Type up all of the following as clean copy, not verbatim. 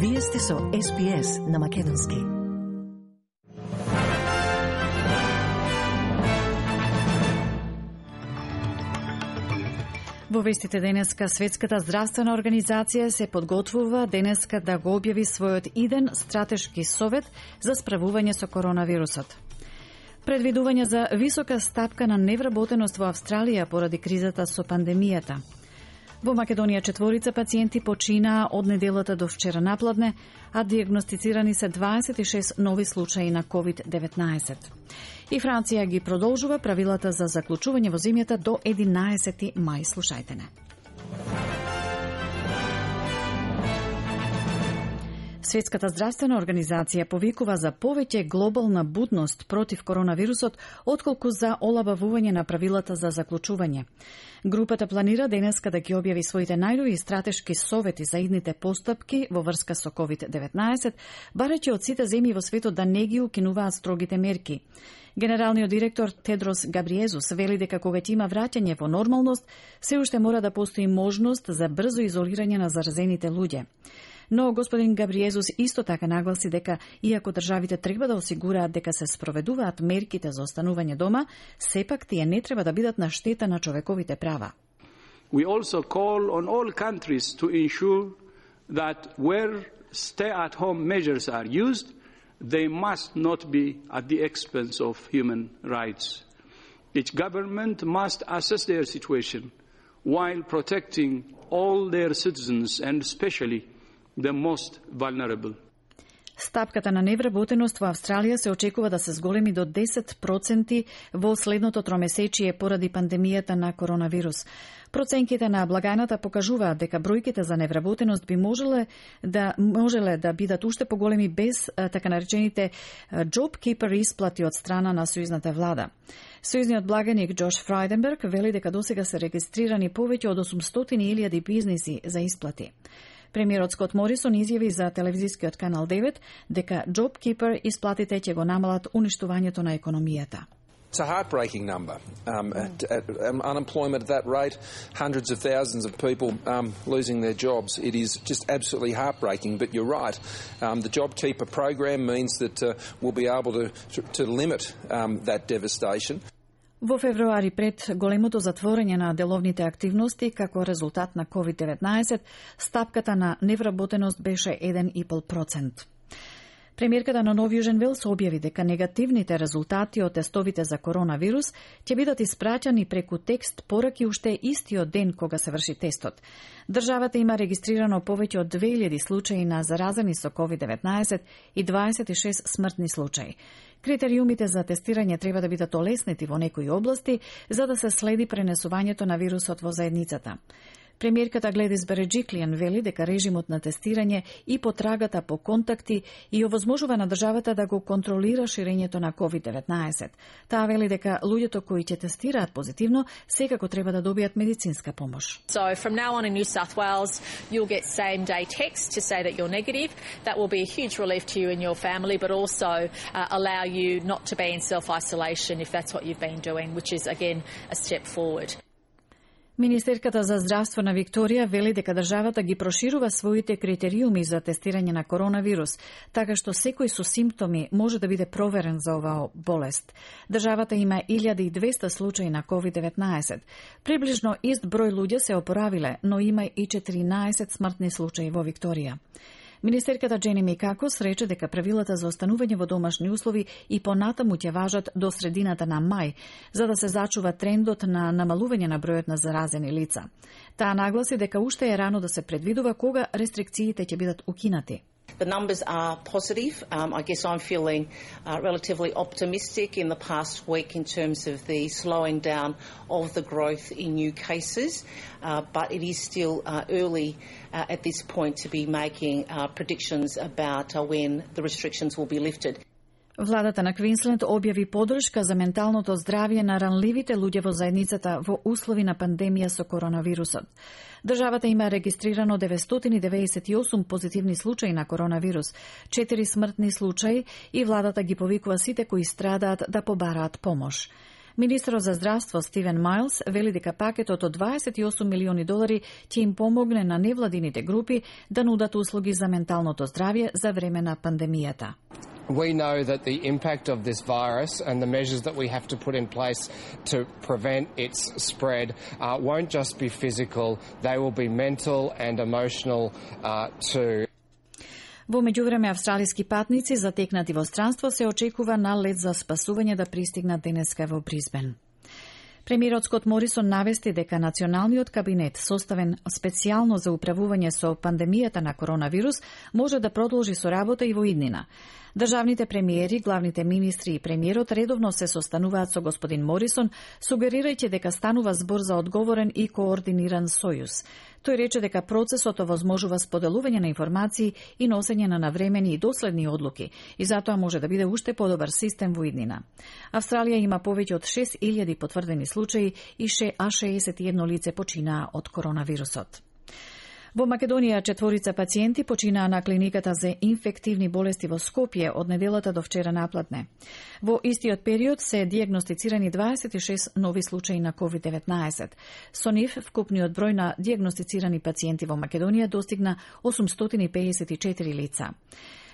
Вие сте со SPS на Македонски. Во вестите денеска, Светската здравствена организација се подготвува денеска да го објави својот иден стратешки совет за справување со коронавирусот. Предвидување за висока стапка на невработеност во Австралија поради кризата со пандемијата. Во Македонија 4 пациенти починаа од неделата до вчера напладне, а диагностицирани се 26 нови случаи на COVID-19. И Франција ги продолжува правилата за заклучување во земјата до 11 мај. Слушајте не. Светската здравствена организација повикува за повеќе глобална будност против коронавирусот, отколку за олабавување на правилата за заклучување. Групата планира денеска да ги објави своите најнови стратешки совети за идните постапки во врска со COVID-19, барајќи од сите земји во светот да не ги укинуваат строгите мерки. Генералниот директор Тедрос Габриезус вели дека кога ќе има враќање во нормалност, се уште мора да постои можност за брзо изолирање на заразените луѓе. Но господин Габриезус исто така нагласи дека, иако државите треба да осигураат дека се спроведуваат мерките за останување дома, сепак тие не треба да бидат на штета на човековите права. We also call on all countries to ensure that where stay-at-home measures are used, they must not be at the expense of human rights. Each government must assess their situation while protecting all their citizens and especially the most vulnerable. Стапката на невработеност во Австралија се очекува да се зголеми до 10% во следното тромесечие поради пандемијата на коронавирус. Проценките на благајната покажуваат дека бројките за невработеност би можеле да бидат уште поголеми без така наречените JobKeeper исплати од страна на сојузната влада. Сојузниот благаник Джош Фрајденберг вели дека досега се регистрирани повеќе од 800,000 бизниси за исплати. Премиерот Скот Морисон изјави за телевизискиот канал 9 дека JobKeeper исплатите ќе го намалат уништувањето на економијата. It's a heartbreaking number. Unemployment at that rate, hundreds of thousands of people losing their jobs. It is just absolutely heartbreaking, but you're right. The JobKeeper program means that we'll be able to limit that devastation. Во февруари пред големото затворање на деловните активности како резултат на COVID-19, стапката на невработеност беше 1,5%. Премиерката на Нов Јужен Велс објави дека негативните резултати од тестовите за коронавирус ќе бидат испраќани преку текст пораки уште истиот ден кога се врши тестот. Државата има регистрирано повеќе од 2000 случаи на заразени со COVID-19 и 26 смртни случаи. Критериумите за тестирање треба да бидат олеснети во некои области за да се следи пренесувањето на вирусот во заедницата. Премиерката Гледис Береджиклијан вели дека режимот на тестирање и потрагата по контакти и овозможува на државата да го контролира ширењето на COVID-19. Таа вели дека луѓето кои ќе тестираат позитивно секако треба да добијат медицинска помош. So from now on in New South Wales, you'll get same day text to say that you're negative. That will be a huge relief to you and your family, but also allow you not to be in self-isolation if that's what you've been doing, which is again a step forward. Министерката за здравство на Викторија вели дека државата ги проширува своите критериуми за тестирање на коронавирус, така што секој со симптоми може да биде проверен за оваа болест. Државата има 1200 случаи на COVID-19. Приближно ист број луѓе се опоравиле, но има и 14 смртни случаи во Викторија. Министерката Джени Микакос рече дека правилата за останување во домашни услови и понатаму ќе важат до средината на мај, за да се зачува трендот на намалување на бројот на заразени лица. Таа нагласи дека уште е рано да се предвидува кога рестрикциите ќе бидат укинати. The numbers are positive. I guess I'm feeling relatively optimistic in the past week in terms of the slowing down of the growth in new cases, but it is still early at this point to be making predictions about when the restrictions will be lifted. Владата на Квинсленд објави поддршка за менталното здравје на ранливите луѓе во заедницата во услови на пандемија со коронавирусот. Државата има регистрирано 998 позитивни случаи на коронавирус, 4 смртни случаи и владата ги повикува сите кои страдаат да побараат помош. Министерот за здравство Стивен Майлс вели дека пакетот од $28 милиони ќе им помогне на невладините групи да нудат услуги за менталното здравје за време на пандемијата. We know that the impact of this virus and the measures that we have to put in place to prevent its spread won't just be physical, they will be mental and emotional too. Во меѓувреме, австралиски патници затекнати во странство се очекува на лет за спасување да пристигнат денеска во Бризбен. Премиерот Скот Морисон навести дека националниот кабинет, составен специјално за управување со пандемијата на коронавирус, може да продолжи со работа и во иднина. Државните премиери, главните министри и премиерот редовно се состануваат со господин Морисон, сугерирајќи дека станува збор за одговорен и координиран сојуз. Тој рече дека процесот овозможува споделување на информации и носење на навремени и доследни одлуки и затоа може да биде уште подобар систем во иднина. Австралија има повеќе од 6.000 потврдени случаи и 61 лице починаа од коронавирусот. Во Македонија 4 пациенти починаа на клиниката за инфективни болести во Скопје од неделата до вчера напладне. Во истиот период се дијагностицирани 26 нови случаи на COVID-19. Со нив, вкупниот број на дијагностицирани пациенти во Македонија достигна 854 лица.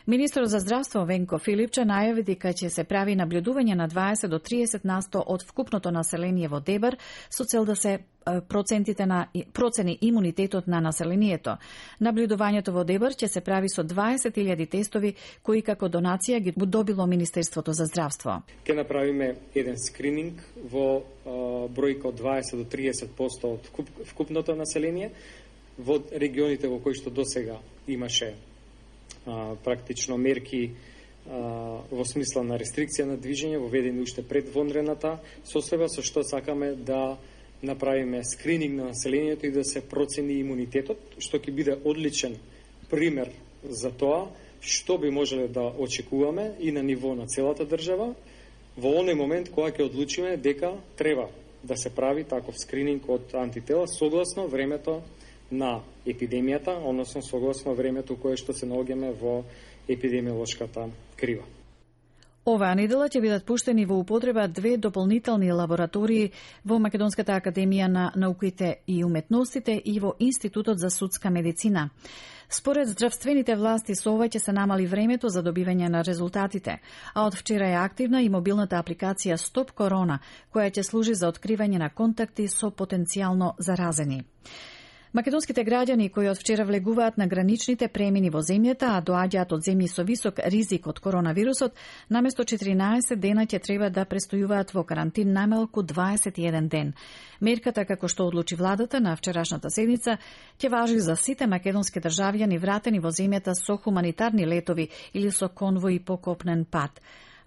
Министерот за здравство Венко Филипче најави дека ќе се прави наблюдување на 20 до 30% од вкупното население во Дебар со цел да се процени имунитетот на населението. Наблюдувањето во Дебар ќе се прави со 20.000 тестови кои како донација ги добило Министерството за здравство. Ќе направиме еден скрининг во бројка од 20 до 30% од вкупното население во регионите во кои што досега имаше практично мерки во смисла на рестрикција на движење воведени уште пред вонредната состојба, со што сакаме да направиме скрининг на населението и да се процени имунитетот, што ќе биде одличен пример за тоа што би можеле да очекуваме и на ниво на целата држава во оној момент кога ќе одлучиме дека треба да се прави таков скрининг од антитела согласно времето на епидемијата, односно согласно времето кое што се наоѓаме во епидемиолошката крива. Оваа недела ќе бидат пуштени во употреба 2 дополнителни лаборатории во Македонската академија на науките и уметностите и во Институтот за судска медицина. Според здравствените власти со ова ќе се намали времето за добивање на резултатите, а од вчера е активна и мобилната апликација Стоп Корона, која ќе служи за откривање на контакти со потенцијално заразени. Македонските граѓани кои од вчера влегуваат на граничните премини во земјата, а доаѓаат од земји со висок ризик од коронавирусот, наместо 14 дена ќе треба да престојуваат во карантин најмалку 21 ден. Мерката, како што одлучи владата на вчерашната седница, ќе важи за сите македонски државјани вратени во земјата со хуманитарни летови или со конвои по копнен пат.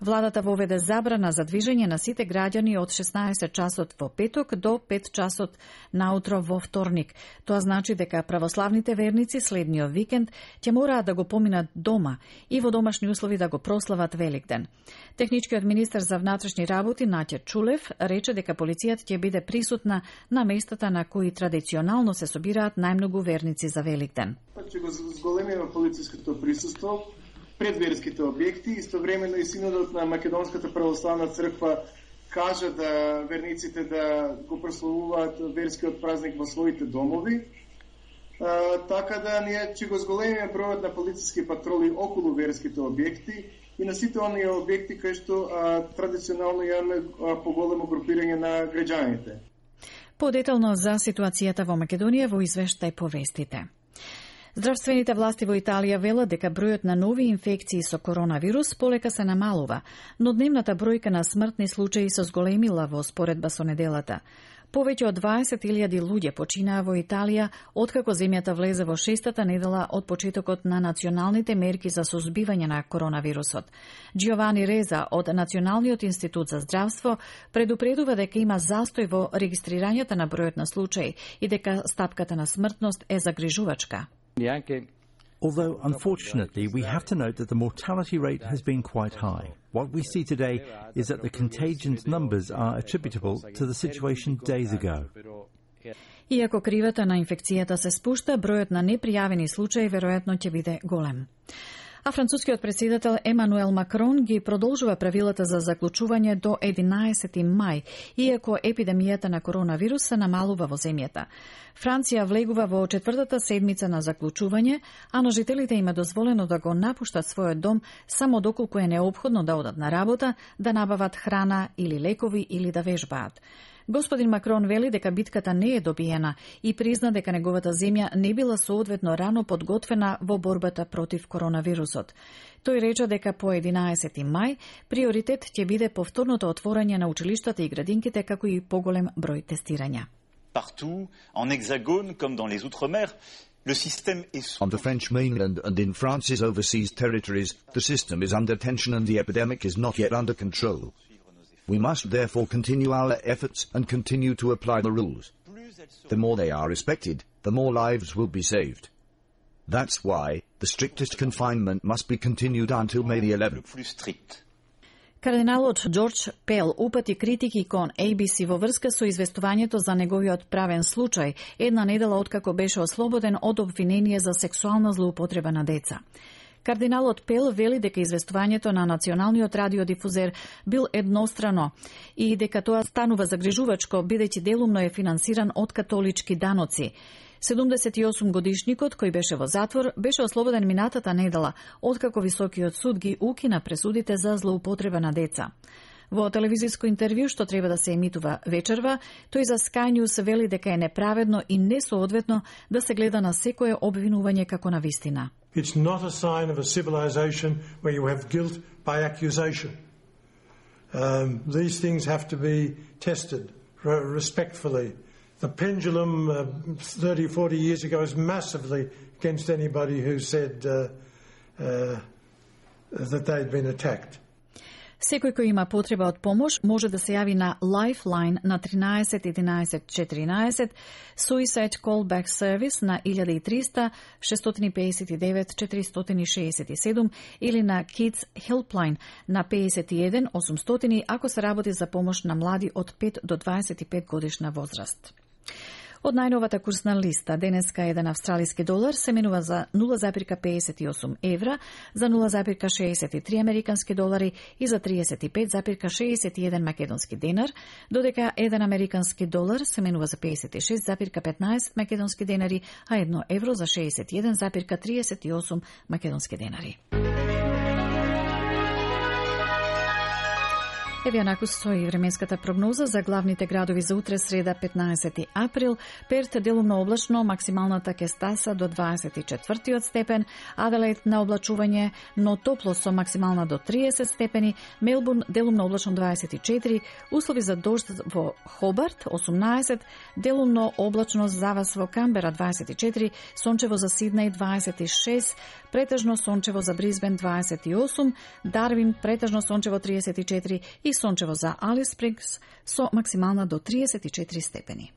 Владата воведе забрана за движење на сите граѓани од 16 часот во петок до 5 часот наутро во вторник. Тоа значи дека православните верници следниот викенд ќе мораат да го поминат дома и во домашни услови да го прослават Великден. Техничкиот министер за внатрешни работи Наќа Чулев рече дека полицијата ќе биде присутна на местата на кои традиционално се собираат најмногу верници за Великден. Ќе го зголемиме полициското присуство пред верските објекти. Истовремено и синодот на Македонската православна црква кажа да верниците да го прославуваат верскиот празник во своите домови. Така да ние ќе го зголемиме бројот на полициски патроли околу верските објекти и на сите оние објекти кои што традиционално имаме поголемо групирање на граѓаните. Подетално за ситуацијата во Македонија во извештај по вестите. Здравствените власти во Италија велат дека бројот на нови инфекции со коронавирус полека се намалува, но дневната бројка на смртни случаи се зголемила во споредба со неделата. Повеќе од 20.000 луѓе починаа во Италија откако земјата влезе во 6-та недела од почетокот на националните мерки за сузбивање на коронавирусот. Джиовани Реза од Националниот институт за здравство предупредува дека има застој во регистрирањето на бројот на случаи и дека стапката на смртност е загрижувачка. Although, unfortunately, we have to note that the mortality rate has been quite high. What we see today is that the contagion's numbers are attributable to the situation days ago. Иако кривата на инфекцијата се спушта, бројот на непријавени случаи веројатно ќе биде голем. А францускиот председател Емануел Макрон ги продолжува правилата за заклучување до 11 мај, иако епидемијата на коронавирус се намалува во земјата. Франција влегува во 4-та седмица на заклучување, а на жителите им е дозволено да го напуштат својот дом само доколку е неопходно да одат на работа, да набават храна или лекови или да вежбаат. Господин Макрон вели дека битката не е добиена и призна дека неговата земја не била соодветно рано подготвена во борбата против коронавирусот. Тој рече дека по 11 мај приоритет ќе биде повторното отворање на училиштата и градинките, како и поголем број тестирања. Partout, en hexagone comme dans les outre-mer, le système est... On the French mainland and in France's overseas territories, the system is under tension and the epidemic is not yet under control. We must therefore continue our efforts and continue to apply the rules. The more they are respected, the more lives will be saved. That's why the strictest confinement must be continued until May the 11th. Кардиналот Џорџ Пел упати критики кон ABC во врска со известувањето за неговиот правен случај, една недела откако беше ослободен од обвинение за сексуална злоупотреба на деца. Кардиналот Пел вели дека известувањето на националниот радиодифузер бил еднострано и дека тоа станува загрижувачко бидејќи делумно е финансиран од католички даноци. 78 годишникот кој беше во затвор беше ослободен минатата недела откако високиот суд ги укина пресудите за злоупотреба на деца. Во телевизиско интервју што треба да се емитува вечерва, тој за Sky News вели дека е неправедно и несоодветно да се гледа на секое обвинување како на вистина. It's not a sign of a civilization where you have guilt by accusation. These things have to be tested respectfully. The pendulum 30, 40 years ago is massively against anybody who said that they'd been attacked. Секој кој има потреба од помош може да се јави на Lifeline на 13 11 14, Suicide Callback Service на 1300 659 467 или на Kids Helpline на 51 800 ако се работи за помош на млади од 5 до 25 годишна возраст. Од најновата курсна листа, денеска еден австралиски долар се менува за 0,58 евра, за 0,63 американски долари и за 35,61 македонски денар, додека еден американски долар се менува за 56,15 македонски денари, а 1 евро за 61,38 македонски денари. Еве онаку стои временската прогноза за главните градови за утре среда 15 април. Перт делумно облачно, максималната ќе стаса до 24 степен, Аделаид на облачување, но топло со максимална до 30 степени, Мелбурн делумно облачно 24, услови за дожд во Хобарт 18, делумно облачно за вас во Камбера 24, сончево за Сиднеј 26, претежно сончево за Брисбен 28, Дарвин претежно сончево 34 и сончево за Алис Спрингс со максимална до 34 степени.